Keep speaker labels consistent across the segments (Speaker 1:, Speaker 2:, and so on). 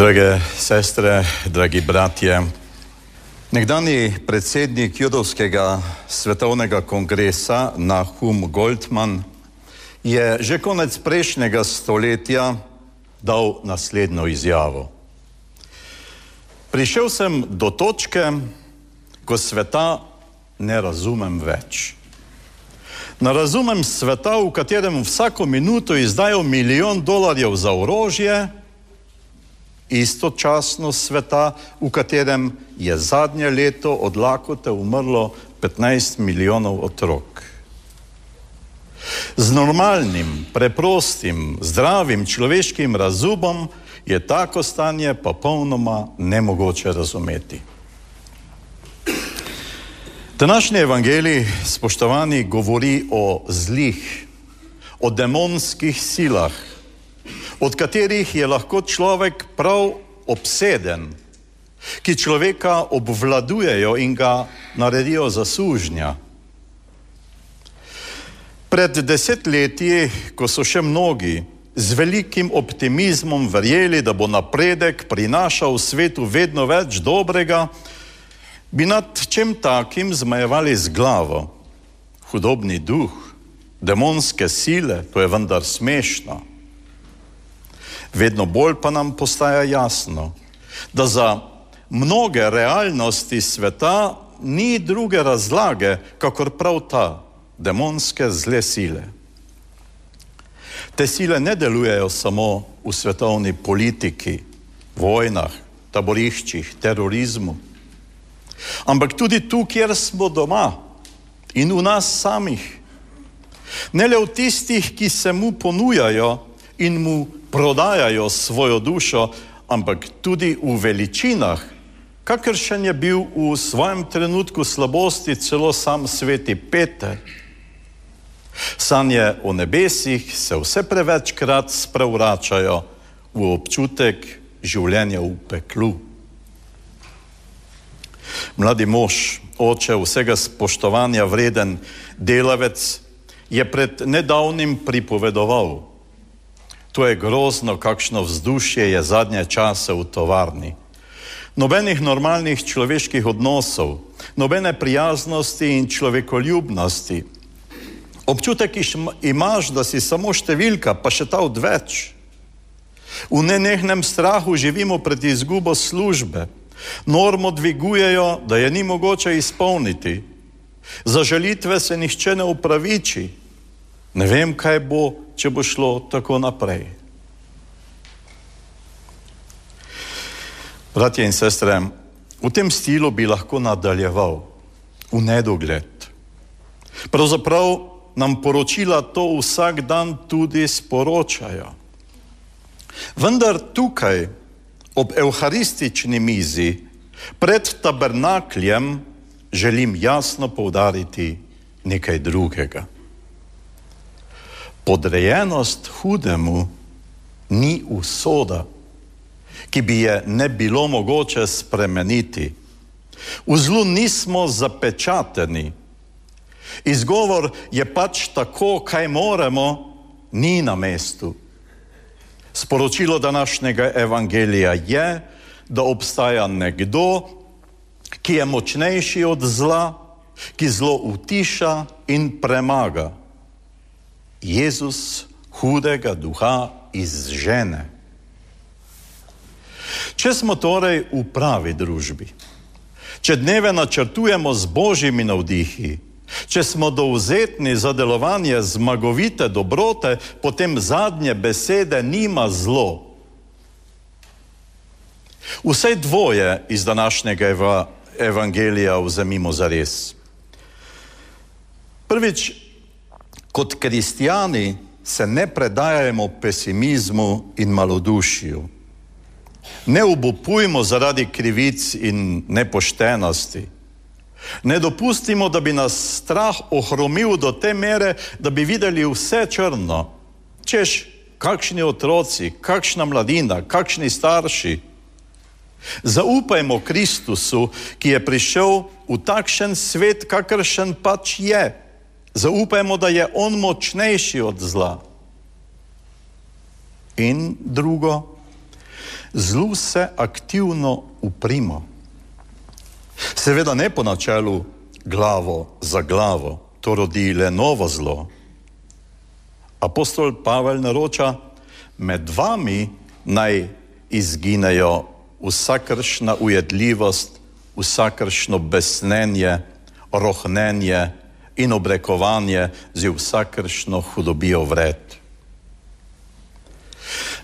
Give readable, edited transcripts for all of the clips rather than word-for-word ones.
Speaker 1: Drage sestre, dragi bratje, nekdanji predsednik Judovskega svetovnega kongresa Nahum Goldman je že konec prejšnjega stoletja dal naslednjo izjavo. Prišel sem do točke, ko sveta ne razumem več. Ne razumem sveta, v katerem vsako minuto izdajo $1 milijon za orožje, istočasno sveta, v katerem je zadnje leto od lakote umrlo 15 milijonov otrok. Z normalnim, preprostim, zdravim človeškim razumom je tako stanje popolnoma nemogoče razumeti. Današnji evangelij, spoštovani, govori o zlih, o demonskih silah, od katerih je lahko človek prav obseden, ki človeka obvladujejo in ga naredijo za sužnja. Pred 10 leti, ko so še mnogi z velikim optimizmom verjeli, da bo napredek prinašal svetu vedno več dobrega, bi nad čem takim zmajevali z glavo. Hudobni duh, demonske sile, to je vendar smešno. Vedno bolj pa nam postaja jasno, da za mnoge realnosti sveta ni druge razlage, kakor prav ta, demonske zle sile. Te sile ne delujejo samo v svetovni politiki, vojnah, taboriščih, terorizmu, ampak tudi tu, kjer smo doma in v nas samih. Ne le v tistih, ki se mu ponujajo in mu prodajajo svojo dušo, ampak tudi v veličinah, kakršen je bil v svojem trenutku slabosti celo sam sveti Peter. Sanje o nebesih se vse prevečkrat sprevračajo v občutek življenja v peklu. Mladi mož, oče vsega spoštovanja vreden delavec, je pred nedavnim pripovedoval: to je grozno, kakšno vzdušje je zadnje čase v tovarni. Nobenih normalnih človeških odnosov, nobene prijaznosti in človekoljubnosti. Občutek imaš, da si samo številka, pa še ta odveč. V nenehnem strahu živimo pred izgubo službe. Normo dvigujejo, da je ni mogoče izpolniti. Za žalitve se nihče ne upraviči. Ne vem, kaj bo, če bo šlo tako naprej. Bratje in sestre, v tem stilu bi lahko nadaljeval v nedogled. Pravzaprav nam poročila to vsak dan tudi sporočajo. Vendar tukaj, ob evharistični mizi, pred tabernakljem, želim jasno poudariti nekaj drugega. Podrejenost hudemu ni usoda, ki bi je ne bilo mogoče spremeniti. V zlu nismo zapečateni. Izgovor je pač tako, kaj moremo, ni na mestu. Sporočilo današnjega evangelija je, da obstaja nekdo, ki je močnejši od zla, ki zlo utiša in premaga. Jezus hudega duha izžene. Če smo torej v pravi družbi, če dneve načrtujemo z božjimi navdihi, če smo dovzetni za delovanje zmagovite dobrote, potem zadnje besede nima zlo. Vsaj dvoje iz današnjega evangelija vzemimo zares. Prvič, kot kristjani se ne predajajmo pesimizmu in malodušju. Ne obupujmo zaradi krivic in nepoštenosti. Ne dopustimo, da bi nas strah ohromil do te mere, da bi videli vse črno. Češ, kakšni otroci, kakšna mladina, kakšni starši. Zaupajmo Kristusu, ki je prišel v takšen svet, kakršen pač je. Zaupajmo, da je on močnejši od zla. In drugo, Zlu se aktivno uprimo. Seveda ne po načelu glavo za glavo, to rodi le novo zlo. Apostol Pavel naroča, med vami naj izginejo vsakršna ujedljivost, vsakršno besnenje, rohnenje in obrekovanje z vsakršno hudobijo vred.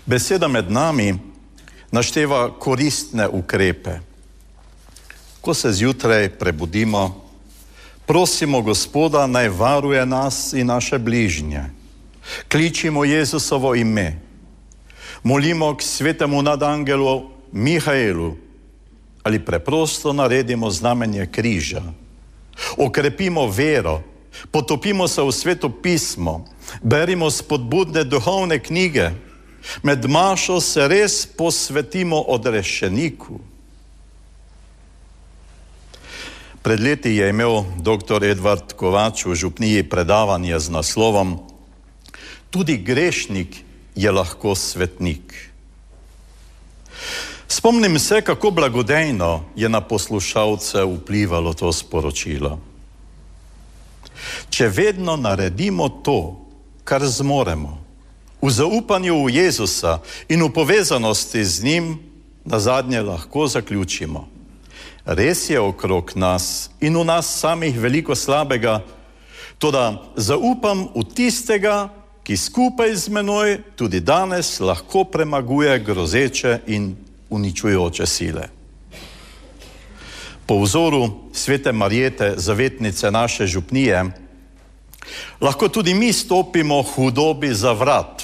Speaker 1: Beseda med nami našteva koristne ukrepe. Ko se zjutraj prebudimo, prosimo Gospoda, naj varuje nas in naše bližnje. Kličimo Jezusovo ime. Molimo k svetemu nadangelu Mihaelu ali preprosto naredimo znamenje križa. Okrepimo vero, potopimo se v Sveto pismo, berimo spodbudne duhovne knjige, med mašo se res posvetimo odrešeniku. Pred leti je imel dr. Edvard Kovač v župniji predavanje z naslovom Tudi grešnik je lahko svetnik. Spomnim se, kako blagodejno je na poslušalce vplivalo to sporočilo. Če vedno naredimo to, kar zmoremo, v zaupanju v Jezusa in v povezanosti z njim, nazadnje lahko zaključimo. Res je okrog nas in v nas samih veliko slabega, toda zaupam v tistega, ki skupaj z menoj tudi danes lahko premaguje grozeče in uničujoče sile. Po vzoru svete Marjete, zavetnice naše župnije, lahko tudi mi stopimo hudobi za vrat.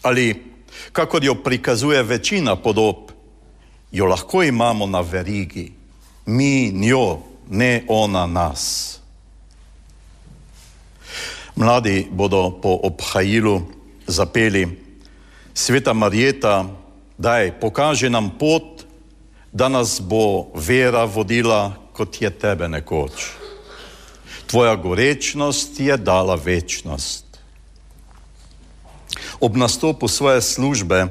Speaker 1: Ali, kakor jo prikazuje večina podob, jo lahko imamo na verigi. Mi njo, ne ona nas. Mladi bodo po obhajilu zapeli: Sveta Marjeta, daj, pokaži nam pot, da nas bo vera vodila, kot je tebe nekoč. Tvoja gorečnost je dala večnost. Ob nastopu svoje službe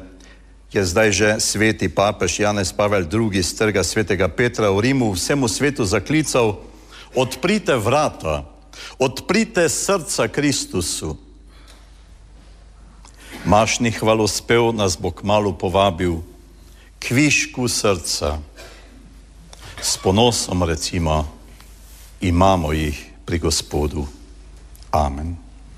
Speaker 1: je zdaj že sveti papež Janez Pavel II. Z trga svetega Petra v Rimu vsemu svetu zaklical: odprite vrata, odprite srca Kristusu. Mašni hvalospev nas bo kmalu povabil k višku srca. S ponosom recimo, imamo jih pri Gospodu. Amen.